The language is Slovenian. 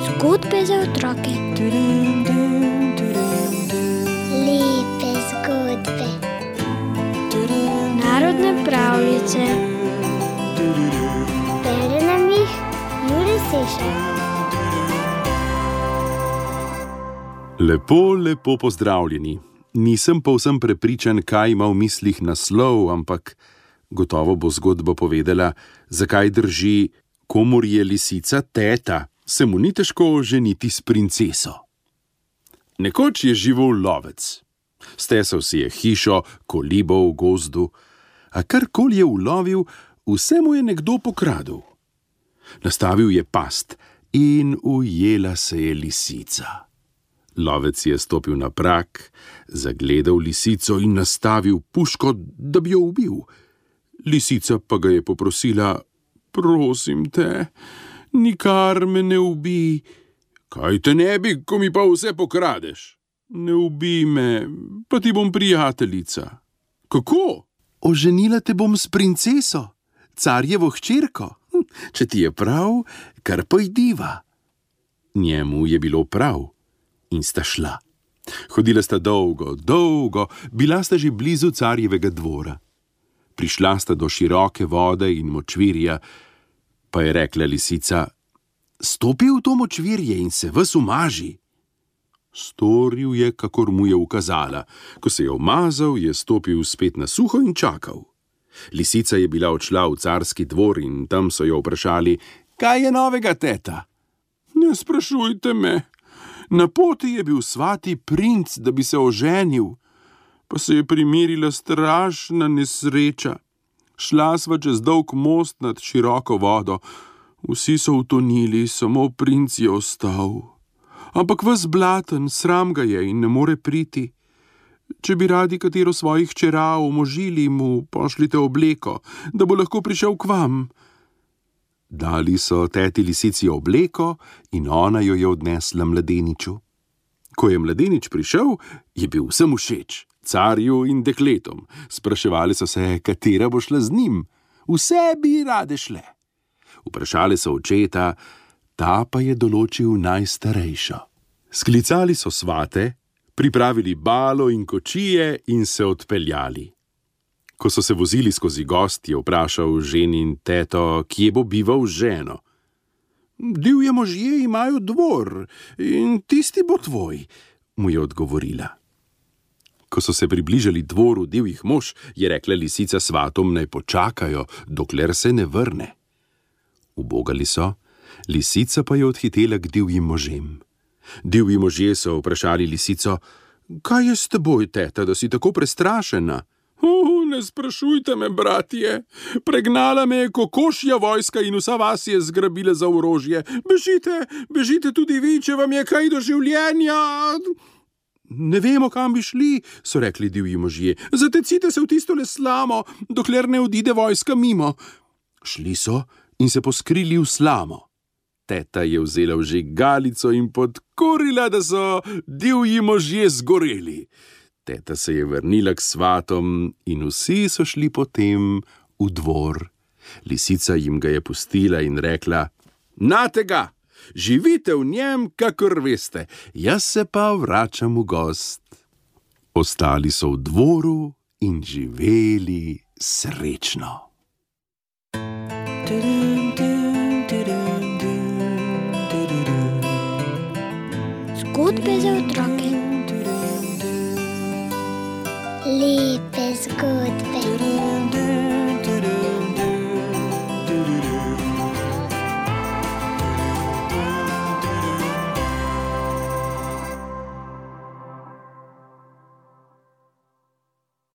Zgodbe za otroke. Lepe zgodbe. Narodne pravljice. Bere nam jih Jure Sešar. Lepo pozdravljeni. Nisem povsem prepričan, kaj ima v mislih naslov, ampak gotovo bo zgodba povedala, zakaj drži, komur je lisica teta, se mu ni težko ženiti s princeso. Nekoč je živel lovec. Stesal si je hišo, kolibo v gozdu, a karkoli je ulovil, vse mu je nekdo pokradel. Nastavil je past in ujela se je lisica. Lovec je stopil na prag, zagledal lisico in nastavil puško, da bi jo ubil. Lisica pa ga je poprosila: prosim te, nikar me ne ubij. Kaj te ne bi, ko mi pa vse pokradeš? Ne ubij me, pa ti bom prijateljica. Kako? Oženila te bom s princeso, carjevo hčerko. Če ti je prav, kar pojdiva. Njemu je bilo prav in sta šla. Hodila sta dolgo, bila sta že blizu carjevega dvora. Prišla sta do široke vode in močvirja, pa je rekla lisica: stopi v to močvirje in se ves umaži. Storil je, kakor mu je ukazala. Ko se je umazal, je stopil spet na suho in čakal. Lisica je bila odšla v carski dvor in tam so jo vprašali: kaj je novega, teta? Ne sprašujte me. Na poti je bil svati princ, da bi se oženil, pa se je primerila strašna nesreča. Šla sva čez dolg most nad široko vodo. Vsi so utonili, samo princ je ostal. Ampak ves blaten, sram ga je in ne more priti. Če bi radi katero svojih hčera omožili, mu pošljite obleko, da bo lahko prišel k vam. Dali so teti lisici obleko in ona jo je odnesla mladeniču. Ko je mladenič prišel, je bil vsem všeč, carju in dekletom. Spraševali so se, katera bo šla z njim. Vse bi rade šle. Vprašali so očeta, ta pa je določil najstarejšo. Sklicali so svate, pripravili balo in kočije in se odpeljali. Ko so se vozili skozi gozd, je vprašal ženin teto, kje bo bival z ženo. Divje možje imajo dvor in tisti bo tvoj, mu je odgovorila. Ko so se približali dvoru divjih mož, je rekla lisica svatom, naj počakajo, dokler se ne vrne. Ubogali so, lisica pa je odhitela k divjim možem. Divji možje so vprašali lisico: kaj je s teboj, teta, da si tako prestrašena? Ne sprašujte me, bratje, pregnala me je kokošja vojska in vsa vas je zgrabila za orožje. Bežite tudi vi, če vam je kaj do življenja. Ne vemo, kam bi šli, so rekli divji možje. Zatecite se v tistole slamo, dokler ne odide vojska mimo. Šli so in se poskrili v slamo. Teta je vzela vžigalico in podkurila, da so divji možje zgoreli. Teta se je vrnila k svatom in vsi so šli potem v dvor. Lisica jim ga je pustila in rekla: nate ga, živite v njem, kakor veste, jaz se pa vračam v gozd. Ostali so v dvoru in živeli srečno. Zgodbe za otroke. Lepe zgodbe.